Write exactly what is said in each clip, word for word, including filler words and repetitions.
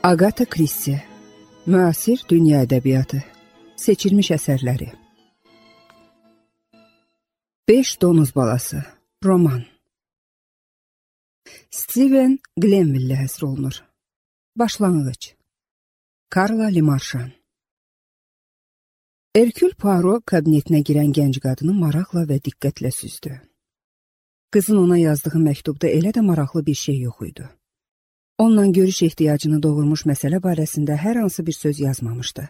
Agatha Christie, müasir dünya ədəbiyyatı, seçilmiş əsərləri. Beş donuz balası, roman. Steven Glenville həsr olunur. Başlanğıc. Karla Limarşan. Herkül Poirot kabinetinə girən gənc qadını maraqla və diqqətlə süzdü. Qızın ona yazdığı məktubda elə də maraqlı bir şey yox idi. Onunla görüş ehtiyacını doğurmuş məsələ barəsində hər hansı bir söz yazmamışdı.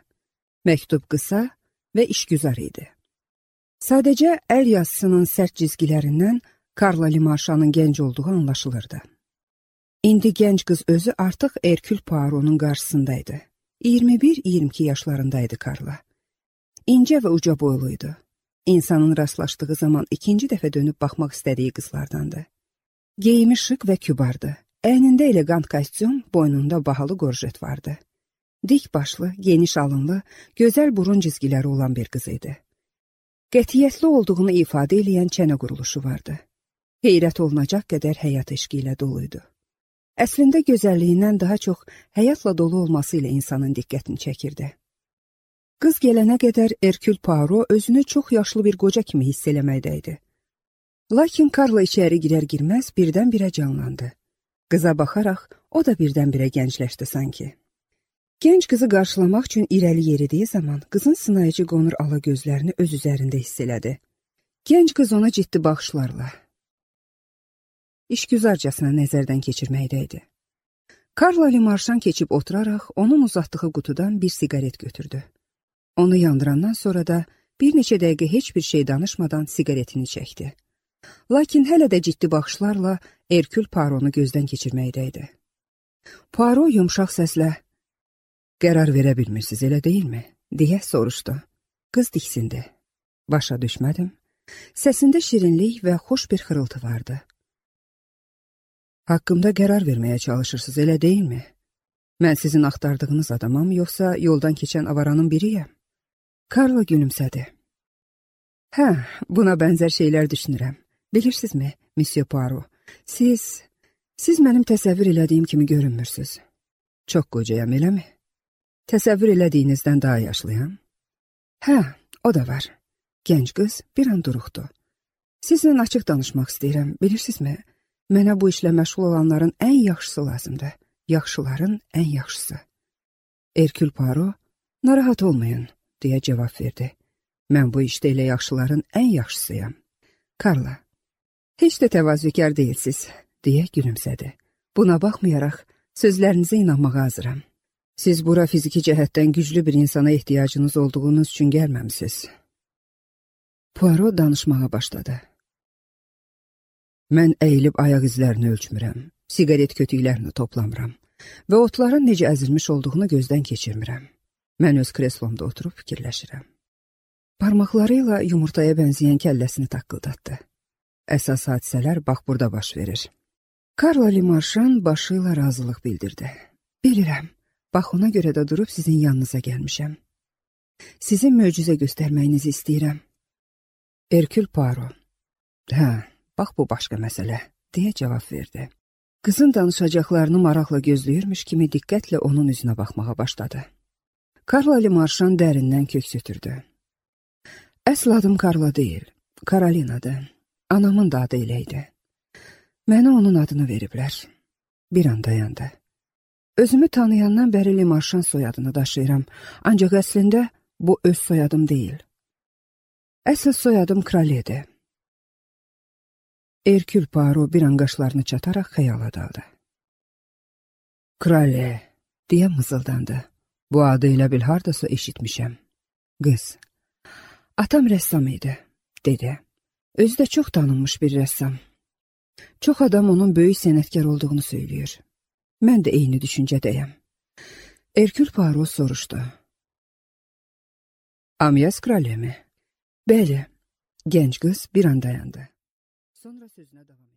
Məktub qısa və işgüzar idi. Sadəcə əl yazısının sərt cizgilərindən Karla Limarşanın gənc olduğu anlaşılırdı. İndi gənc qız özü artıq Herkül Poirot'un qarşısındaydı. iyirmi bir iyirmi iki yaşlarındaydı Karla. İncə və uca boyluydu. İnsanın rastlaşdığı zaman ikinci dəfə dönüb baxmaq istədiyi qızlardandı. Geyimi şık və kübardı. Əynində elegant kostyum, boynunda bahalı gorjet vardı. Dik başlı, geniş alınlı, gözəl burun cizgiləri olan bir qız idi. Qətiyyətli olduğunu ifadə edən çənə quruluşu vardı. Heyrət olunacaq qədər həyat eşqi ilə doluydu. Əslində gözəlliyindən daha çox həyatla dolu olması ilə insanın diqqətini çəkirdi. Qız gələnə qədər Herkül Poirot özünü çox yaşlı bir qoca kimi hiss eləməkdəydi. Lakin Karla içəri girər-girməz birdən-birə canlandı. Qıza baxaraq o da birdən-birə gəncləşdi sanki. Gənc qızı qarşılamaq üçün irəli yeridiyi zaman qızın sınayıcı qonur ala gözlərini öz üzərində hiss elədi. Gənc qız ona ciddi baxışlarla, işgüzarcasına nəzərdən keçirməkdəydi. Karla Limarşan keçib oturaraq onun uzatdığı qutudan bir siqaret götürdü. Onu yandırandan sonra da bir neçə dəqiqə heç bir şey danışmadan siqaretini çəkdi. Lakin hələ də ciddi baxışlarla Herkül Poirot'u gözdən keçirməkdəydi. Poirot yumşaq səslə, "Qərar verə bilmirsiniz, elə deyilmi?" deyə soruşdu. Qız diksindi. "Başa düşmədim." Səsində şirinlik və xoş bir xırıltı vardı. "Haqqımda qərar verməyə çalışırsınız, elə deyilmi? Mən sizin axtardığınız adamam, yoxsa yoldan keçən avaranın biriyəm?" Karla gülümsədi. "Hə, buna bənzər şeylər düşünürəm. Bilirsinizmi, Monsieur Poirot, siz, siz mənim təsəvvür elədiyim kimi görünmürsünüz. Çox qocayam, eləmi? Təsəvvür elədiyinizdən daha yaşlıyam?" "Hə, o da var." Gənc qız bir an duruxdu. "Sizlə açıq danışmaq istəyirəm, bilirsinizmi? Mənə bu işlə məşğul olanların ən yaxşısı lazımdır. Yaxşıların ən yaxşısı." Herkül Poirot, "Narahat olmayın," deyə cavab verdi. "Mən bu işdə elə yaxşıların ən yaxşısıyam." "Karla, heç də təvazökar deyilsiz," deyə gülümsədi. "Buna baxmayaraq, sözlərinizə inanmağa hazıram. Siz bura fiziki cəhətdən güclü bir insana ehtiyacınız olduğunuz üçün gəlməmisiniz." Poirot danışmağa başladı. "Mən əyilib ayaq izlərini ölçmürəm, siqaret kötüklərini toplamıram və otların necə əzilmiş olduğunu gözdən keçirmirəm. Mən öz kreslomda oturub fikirləşirəm." Parmaqlarıyla yumurtaya bənzəyən kəlləsini taqqıldatdı. "Əsas hadisələr bax burada baş verir." Karla Limarşan başı ilə razılıq bildirdi. "Bilirəm, bax ona görə də durub sizin yanınıza gəlmişəm. Sizin möcüzə göstərməyinizi istəyirəm." Herkül Poirot, "Hə, bax bu başqa məsələ," deyə cavab verdi. Qızın danışacaqlarını maraqla gözləyirmiş kimi diqqətlə onun üzünə baxmağa başladı. Karla Limarşan dərindən köks ötürdü. "Əsl adım Karla deyil, Karolinadır. Anamın da adı elə idi. Mənə onun adını veriblər." Bir an dayandı. "Özümü tanıyandan bəri Limarşan soyadını daşıyıram, ancaq əslində bu öz soyadım deyil. Əsl soyadım Kraliyedir." Herkül Poirot bir an qaşlarını çataraq xəyala daldı. "Kraliye," deyə mızıldandı. "Bu adı elə bil hardasa eşitmişəm." "Qız, atam rəssam idi," dedi. "Özü də çox tanınmış bir rəssam. Çox adam onun böyük sənətkar olduğunu söylüyor. Mən də eyni düşüncədəyəm." Herkül Poirot soruşdu. "Amyas Kraliye mi?" "Bəli." Gənc qız bir an dayandı. Sonra sözünə davam etdi.